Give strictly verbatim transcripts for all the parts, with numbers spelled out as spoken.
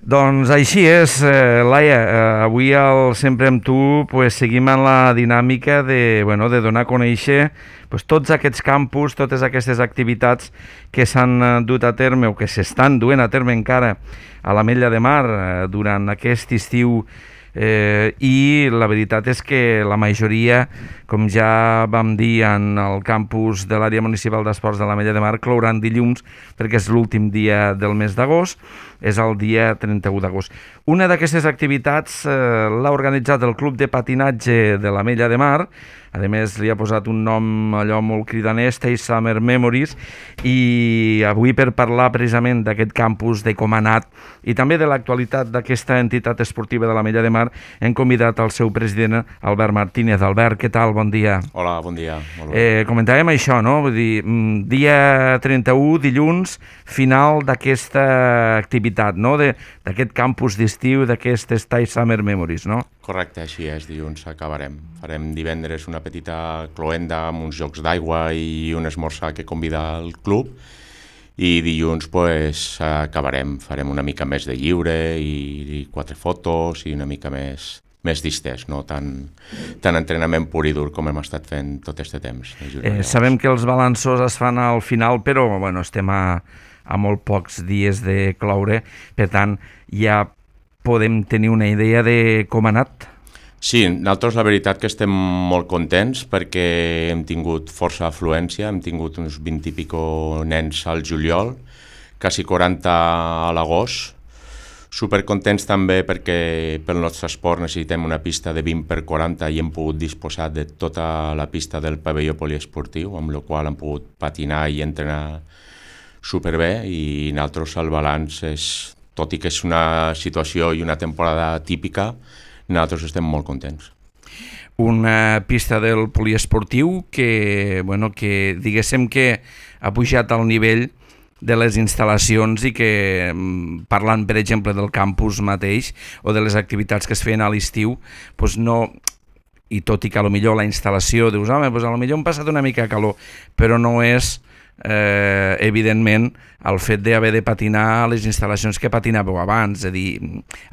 Doncs així és, eh, Laia, eh, avui al Sempre amb tu pues, seguim en la dinàmica de, bueno, de donar a conèixer pues, tots aquests campus, totes aquestes activitats que s'han dut a terme o que s'estan duent a terme encara a l'Ametlla de Mar eh, durant aquest estiu eh, i la veritat és que la majoria, com ja vam dir en el campus de l'àrea municipal d'esports de l'Ametlla de Mar, clouran dilluns perquè és l'últim dia del mes d'agost, és el dia trenta-u d'agost. Una d'aquestes activitats eh, l'ha organitzat el Club de Patinatge de l'Ametlla de Mar, a més li ha posat un nom allò molt cridaner, Stay Summer Memories, i avui per parlar precisament d'aquest campus, de com ha anat i també de l'actualitat d'aquesta entitat esportiva de l'Ametlla de Mar, hem convidat el seu president, Albert Martínez. Albert, què tal? Bon dia. Hola, bon dia. Molt bé. Eh, comentàvem això, no? Vull dir, dia trenta-u, dilluns, final d'aquesta activitat, no? D'aquest campus d'estiu, d'aquest Stay Summer Memories, no? Correcte, així és, dilluns acabarem. Farem divendres una petita cloenda amb uns jocs d'aigua i un esmorzar que convida el club i dilluns pues, acabarem, farem una mica més de lliure i, i quatre fotos i una mica més, més distès, no tant, tant entrenament pur i dur com hem estat fent tot aquest temps. Eh, sabem que els balanços es fan al final, però bueno, estem a, a molt pocs dies de cloure, per tant ja podem tenir una idea de com ha anat. Sí, nosaltres la veritat que estem molt contents perquè hem tingut força afluència, hem tingut uns vint i pico nens al juliol, quasi quaranta a l'agost. Supercontents també perquè pel nostre esport necessitem una pista de vint per quaranta i hem pogut disposar de tota la pista del pavelló poliesportiu, amb la qual hem pogut patinar i entrenar superbé, i nosaltres el balanç és, tot i que és una situació i una temporada típica, nosaltres estem molt contents. Una pista del poliesportiu que, bueno, que diguéssim que ha pujat al nivell de les instal·lacions i que, parlant per exemple del campus mateix o de les activitats que es feien a l'estiu, doncs no, i tot i que potser la instal·lació dius, home, doncs potser hem passat una mica calor, però no és eh, evidentment el fet d'haver de patinar a les instal·lacions que patinàveu abans, és a dir,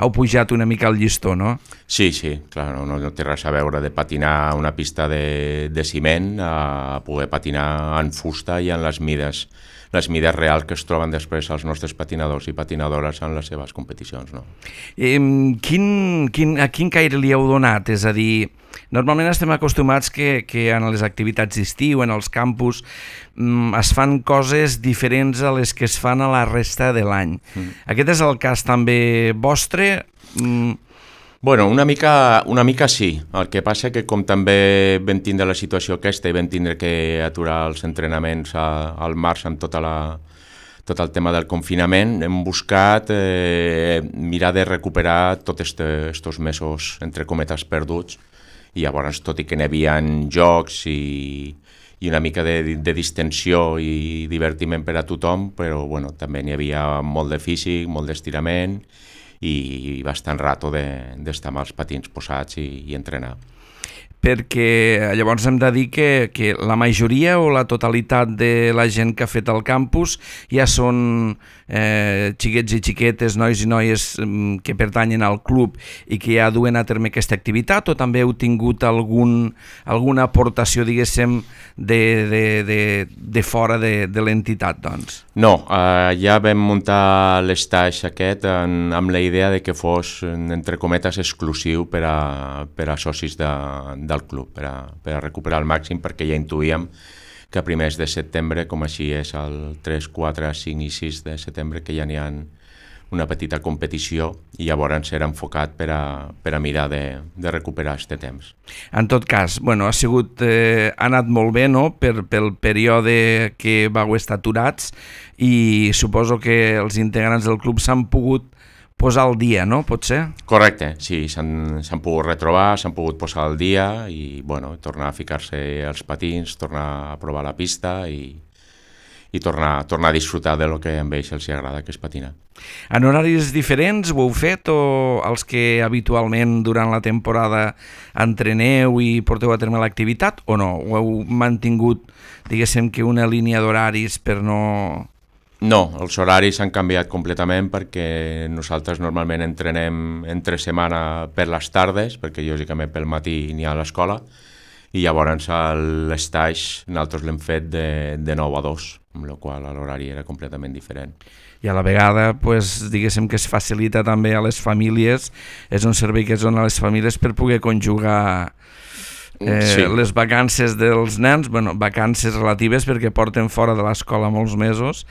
heu pujat una mica el llistó, no? Sí, sí, clar, no, no té res a veure de patinar a una pista de, de ciment a poder patinar en fusta i en les mides, les mides reals que es troben després els nostres patinadors i patinadores en les seves competicions, no? Eh, quin, quin, a quin caire li heu donat? És a dir, normalment estem acostumats que, que en les activitats d'estiu, en els campus, mm, es fan coses diferents a les que es fan a la resta de l'any. Mm. Aquest és el cas també vostre? Mm. Bueno, una mica, una mica sí. El que passa que com també vam tindre la situació aquesta i vam tindre que aturar els entrenaments a, al març amb tota la, tot el tema del confinament, hem buscat eh, mirar de recuperar tots aquests mesos, entre cometes, perduts, i llavors, tot i que n'hi havia jocs i, i una mica de, de distensió i divertiment per a tothom, però bueno, també n'hi havia molt de físic, molt d'estirament i bastant rato d'estar de, amb els patins posats i, i entrenar. Perquè llavors hem de dir que, que la majoria o la totalitat de la gent que ha fet el campus ja són eh, xiquets i xiquetes, nois i noies mm, que pertanyen al club i que ja duen a terme aquesta activitat, o també heu tingut algun, alguna aportació, diguéssim, de, de, de, de fora de, de l'entitat, doncs? No, eh, ja vam muntar l'estaix aquest en, amb la idea de que fos, entre cometes, exclusiu per a, per a socis de, del club, per a, per a recuperar el màxim, perquè ja intuïem que a primers de setembre, com així és el tres, quatre, cinc i sis de setembre, que ja n'hi ha una petita competició i llavors serà enfocat per a, per a mirar de, de recuperar aquest temps. En tot cas, bueno, ha sigut, eh, ha anat molt bé, no?, per, pel període que vau estar aturats, i suposo que els integrants del club s'han pogut posar al dia, no? Pot ser? Correcte, sí, s'han pogut retrobar, s'han pogut posar al dia i bueno, tornar a ficar-se els patins, tornar a provar la pista i, i tornar, tornar a disfrutar de lo que a ells els agrada, que és patinar. En horaris diferents ho heu fet, o els que habitualment durant la temporada entreneu i porteu a terme l'activitat, o no? Ho heu mantingut, diguéssim, que una línia d'horaris per no No, els horaris s'han canviat completament perquè nosaltres normalment entrenem entre setmana per les tardes, perquè lògicament pel matí n'hi ha a l'escola, i llavors l'estage nosaltres l'hem fet de, de nou a dos, amb la qual l'horari era completament diferent. I a la vegada, pues, diguéssim que es facilita també a les famílies, és un servei que es dona a les famílies per poder conjugar eh, sí. les vacances dels nens, bueno, vacances relatives perquè porten fora de l'escola molts mesos,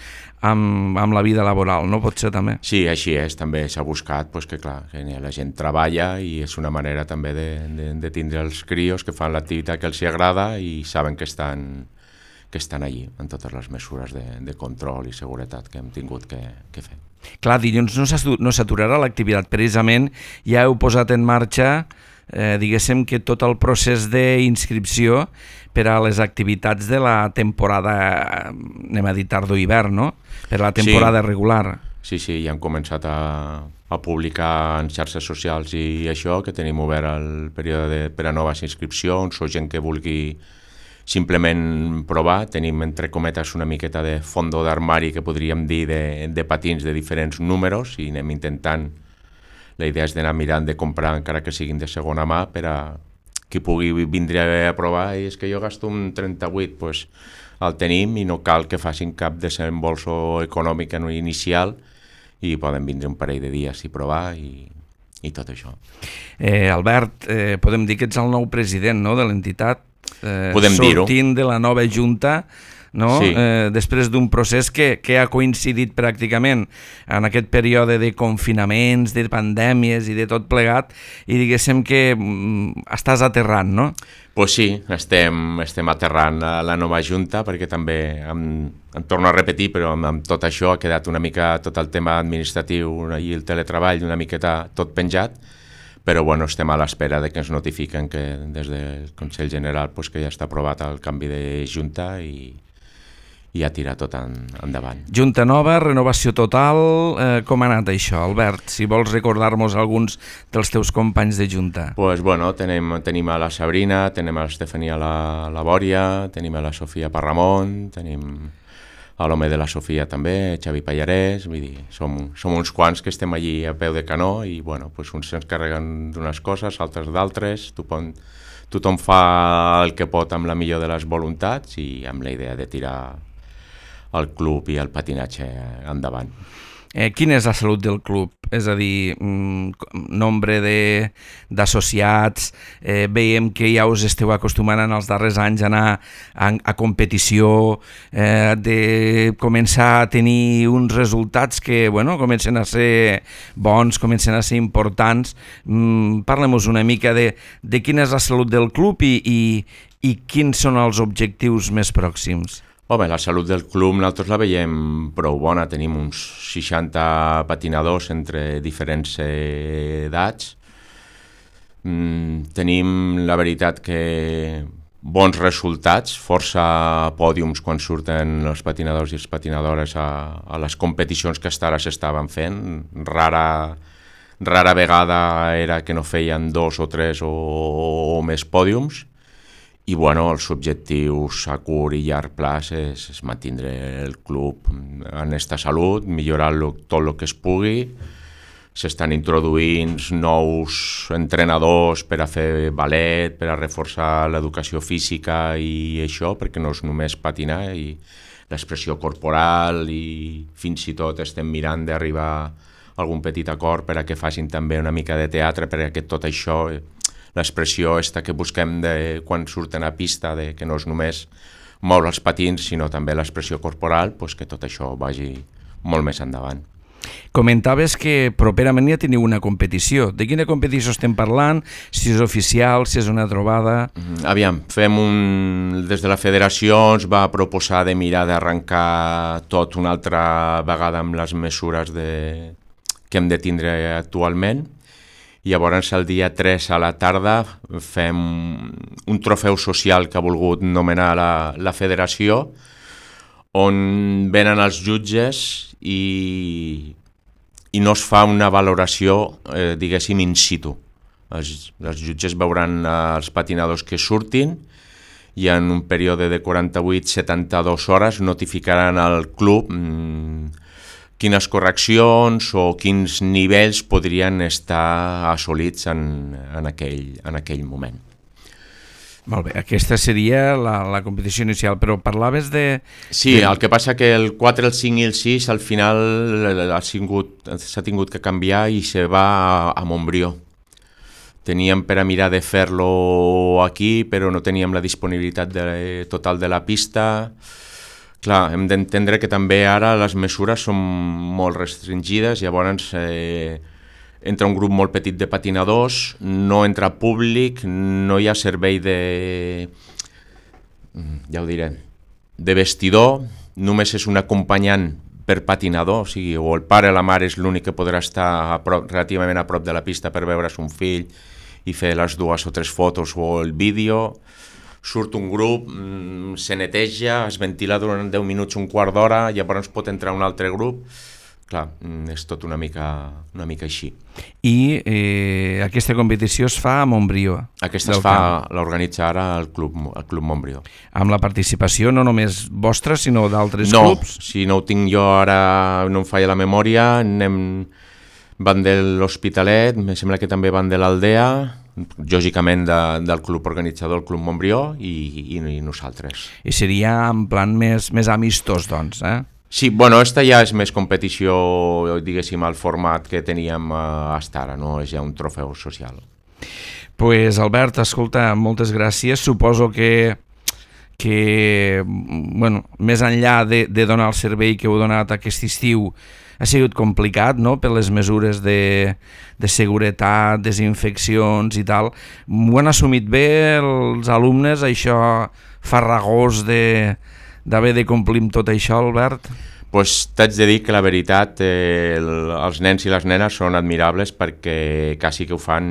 amb, amb la vida laboral, no? Pot ser també. Sí, així és, també s'ha buscat pues, que, clar, que la gent treballa i és una manera també de, de, de tindre els crios que fan l'activitat que els hi agrada i saben que estan, que estan allí, en totes les mesures de, de control i seguretat que hem tingut que, que fer. Clar, dilluns no s'aturarà l'activitat, precisament ja heu posat en marxa Eh, diguéssim que tot el procés d'inscripció per a les activitats de la temporada, anem a dir tardor-hivern, no? Per a la temporada sí. regular. Sí, sí, ja hem començat a, a publicar en xarxes socials i això, que tenim obert el període de, per a noves inscripcions o gent que vulgui simplement provar. Tenim, entre cometes, una miqueta de fondo d'armari, que podríem dir, de, de patins de diferents números i anem intentant. La idea és d'anar mirant de comprar, encara que siguin de segona mà, per a qui pugui vindre a provar. I és que jo gasto un trenta-vuit, doncs el tenim i no cal que facin cap desembolso econòmic inicial i poden vindre un parell de dies i provar i, i tot això. Eh, Albert, eh, podem dir que ets el nou president, no?, de l'entitat, eh, podem dir-ho. Sortint de la nova junta, no? Sí. Eh, després d'un procés que, que ha coincidit pràcticament en aquest període de confinaments, de pandèmies i de tot plegat, i diguéssim que mm, estàs aterrant, no? Pues sí, estem, estem aterrant a la nova junta, perquè també, em, em torno a repetir, però amb, amb tot això ha quedat una mica tot el tema administratiu i el teletreball una miqueta tot penjat, però bueno, estem a l'espera de que ens notifiquen que des del Consell General pues, que ja està aprovat el canvi de junta i i a tirar tot en, endavant. Junta nova, renovació total, eh, com ha anat això, Albert? Si vols recordar-nos alguns dels teus companys de junta. Pues bueno, tenim, tenim a la Sabrina, tenim a l'Estefania la, la Bòria, tenim a la Sofia Parramon, tenim a l'home de la Sofia també, Xavi Pallarès, vull dir, som, som uns quants que estem allí a peu de canó i bueno, pues uns s'encarreguen d'unes coses, altres d'altres, tothom, tothom fa el que pot amb la millor de les voluntats i amb la idea de tirar el club i el patinatge endavant. Eh, quina és la salut del club? És a dir, mm, nombre d'associats, eh, veiem que ja us esteu acostumant en els darrers anys a anar a, a competició, eh, de començar a tenir uns resultats que bueno, comencen a ser bons, comencen a ser importants. Mm, Parlem-nos una mica de, de quina és la salut del club i, i, i quins són els objectius més pròxims. Home, la salut del club nosaltres la veiem prou bona, tenim uns seixanta patinadors entre diferents edats, mm, tenim la veritat que bons resultats, força pòdiums quan surten els patinadors i les patinadores a, a les competicions que fins ara s'estaven fent, rara, rara vegada era que no feien dos o tres o, o més pòdiums. I bueno, els objectius a curt i llarg plaç és, és mantindre el club en esta salut, millorar tot el que es pugui. S'estan introduint nous entrenadors per a fer ballet, per a reforçar l'educació física i això, perquè no és només patinar, i l'expressió corporal i fins i tot estem mirant d'arribar a algun petit acord per a que facin també una mica de teatre, perquè tot això... l'expressió esta que busquem de quan surten a pista, de que no és només moure els patins, sinó també l'expressió corporal, pues que tot això vagi molt més endavant. Comentaves que properament ja teniu una competició. De quina competició estem parlant? Si és oficial, si és una trobada... Aviam, fem un... des de la federació ens va proposar de mirar d'arrencar tot una altra vegada amb les mesures de... que hem de tindre actualment. I llavors el dia tres a la tarda fem un trofeu social que ha volgut nomenar la, la federació, on venen els jutges i, i no es fa una valoració, eh, diguéssim, in situ. Els, els jutges veuran els patinadors que surtin i en un període de quaranta-vuit a setanta-dues hores notificaran al club mmm, quines correccions o quins nivells podrien estar assolits en, en, aquell, en aquell moment. Molt bé, aquesta seria la, la competició inicial, però parlaves de... Sí, el que passa que el quatre, el cinc i el sis al final s'ha tingut que canviar i se va a, a Montbrió. Teníem per a mirar de fer-lo aquí, però no teníem la disponibilitat de, total de la pista. Clar, hem d'entendre que també ara les mesures són molt restringides, llavors... Eh, entra un grup molt petit de patinadors, no entra públic, no hi ha servei de, ja ho diré, de vestidor, només és un acompanyant per patinador, o sigui, o el pare o la mare és l'únic que podrà estar a prop, relativament a prop de la pista per veure son fill i fer les dues o tres fotos o el vídeo. Surt un grup, se neteja, es ventila durant deu minuts, un quart d'hora, llavors pot entrar un altre grup. Clar, és tot una mica, una mica així. I eh, aquesta competició es fa a Montbrió? Aquesta es fa, l'organitza ara el Club, el Club Montbrió. Amb la participació no només vostra, sinó d'altres no, clubs? No, si no ho tinc jo ara, no em falla la memòria, anem, van de l'Hospitalet, em sembla que també van de l'Aldea, lògicament de, del club organitzador, el Club Montbrió, i, i, i nosaltres. I seria en plan més, més amistós, doncs, eh? Sí, bueno, esta ja és més competició, diguéssim, al format que teníem fins ara, no? És ja un trofeu social. Pues Albert, escolta, moltes gràcies. Suposo que, que bueno, més enllà de, de donar el servei que heu donat aquest estiu, ha sigut complicat, no?, per les mesures de, de seguretat, desinfeccions i tal. Ho han assumit bé els alumnes, això farragós de... d'haver de complir amb tot això, Albert? Pues t'haig de dir que la veritat, eh, el, els nens i les nenes són admirables perquè quasi que ho fan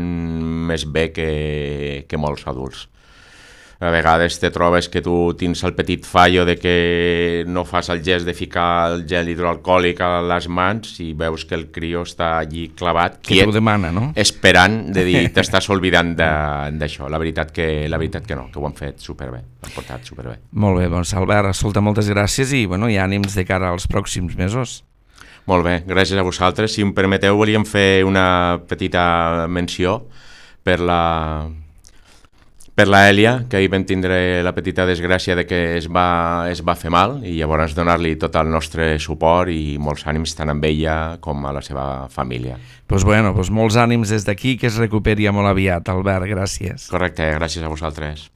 més bé que, que molts adults. A vegades te trobes que tu tens el petit fallo de que no fas el gest de ficar el gel hidroalcohòlic a les mans i veus que el crió està allí clavat, que quiet, t'ho demana, no? Esperant de dir, t'estàs oblidant d'això. La veritat que la veritat que no, que ho han fet superbé, ho han portat superbé. Molt bé, doncs Albert, escolta, moltes gràcies i, bueno, i ànims de cara als pròxims mesos. Molt bé, gràcies a vosaltres. Si em permeteu, volíem fer una petita menció per la... per la Èlia, que ahir vam tindre la petita desgràcia de que es va, es va fer mal i llavors donar-li tot el nostre suport i molts ànims tant amb ella com a la seva família. Doncs bueno, doncs molts ànims des d'aquí, que es recuperi molt aviat, Albert, gràcies. Correcte, gràcies a vosaltres.